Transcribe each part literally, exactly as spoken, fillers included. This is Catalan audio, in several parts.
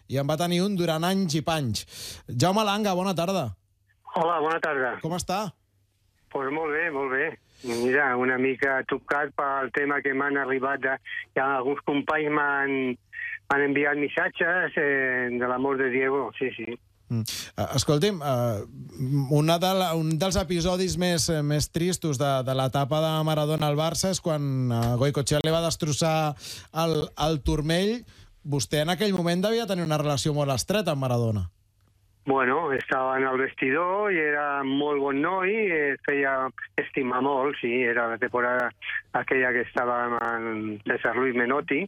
i en va tenir un durant anys i panys. Jaume Langa, bona tarda. Hola, bona tarda. Com està? Doncs pues molt bé, molt bé. Mira, una mica tocat pel tema que m'han arribat. De, ja alguns companys m'han enviat missatges eh, de l'amor de Diego, sí, sí. Mm. Escolti'm, uh, una de la, un dels episodis més, més tristos de, de l'etapa de Maradona al Barça és quan uh, Goicoechea li va destrossar el, el turmell. Vostè en aquell moment devia tenir una relació molt estreta amb Maradona. Bueno, estava en el vestidor i era molt bon noi, es feia estimar molt, sí, era la temporada aquella que estava amb César Luis Menotti,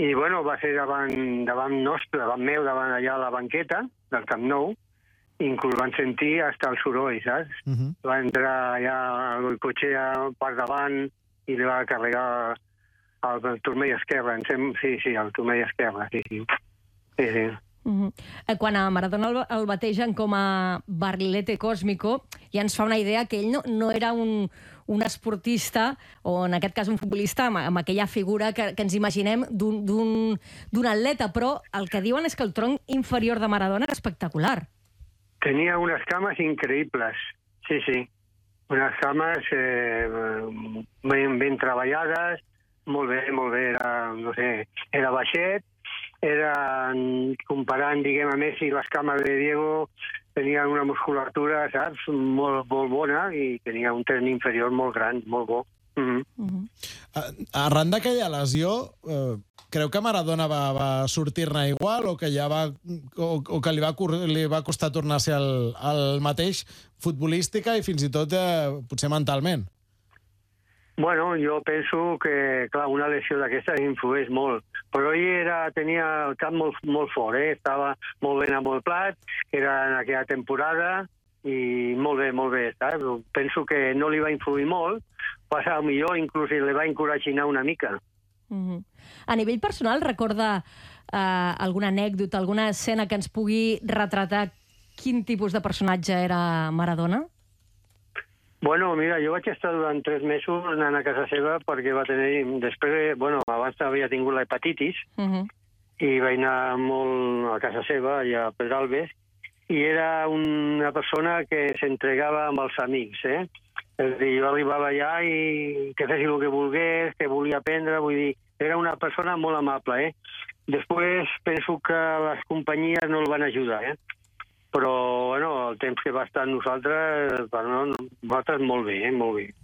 i bueno, va ser davant, davant nostre, davant meu, davant allà a la banqueta del Camp Nou, i inclús van sentir hasta el soroll, saps? Uh -huh. Va entrar allà el Goicoechea per davant i li va carregar el, el turmell esquerre, sí, sí, el turmell esquerre, sí, sí. Sí, sí. Uh -huh. Quan a Maradona el, el bategen com a Barrilete Cósmico, ja ens fa una idea que ell no, no era un, un esportista, o en aquest cas un futbolista, amb, amb aquella figura que, que ens imaginem d'un atleta, però el que diuen és que el tronc inferior de Maradona era espectacular. Tenia unes cames increïbles, sí, sí. Unes cames eh, ben, ben treballades, molt bé, molt bé, era, no sé, era baixet, era, comparant, diguem, a Messi, les cames de Diego tenien una musculatura, saps, molt, molt bona i tenia un tren inferior molt gran, molt bo. Uh -huh. Uh -huh. Arran d'aquella lesió, eh, creu que Maradona va, va sortir-ne igual o que ja va o, o que li va, li va costar tornar a ser el, el mateix futbolística i fins i tot eh, potser mentalment? Bueno, jo penso que, clar, una lesió d'aquestes influeix molt, però ell era, tenia el cap molt, molt fort, eh? Estava molt ben amolplat, era en aquella temporada, i molt bé, molt bé, saps? Penso que no li va influir molt, passa millor, inclús li va encoratginar una mica. Uh -huh. A nivell personal, recorda eh, alguna anècdota, alguna escena que ens pugui retratar quin tipus de personatge era Maradona? Bueno, mira, jo vaig estar durant tres mesos anant a casa seva perquè va tenir... Després, bueno, abans havia tingut l'hepatitis uh -huh. i vaig anar molt a casa seva, allà a Pedralbes, i era una persona que s'entregava amb els amics, eh? És a dir, jo arribava allà i que fessi el que volgués, que volia aprendre, vull dir, era una persona molt amable, eh? Després penso que les companyies no el van ajudar, eh? Però, bueno, el temps que va estar amb nosaltres, bueno, nosaltres molt bé, eh? Molt bé.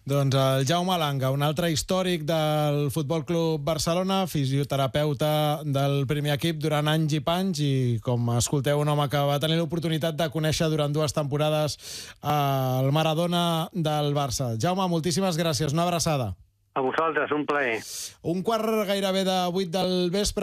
Doncs el Jaume Langa, un altre històric del Futbol Club Barcelona, fisioterapeuta del primer equip durant anys i panys i, com escolteu, un home que va tenir l'oportunitat de conèixer durant dues temporades el Maradona del Barça. Jaume, moltíssimes gràcies. Una abraçada. A vosaltres, un plaer. Un quart gairebé de vuit del vespre.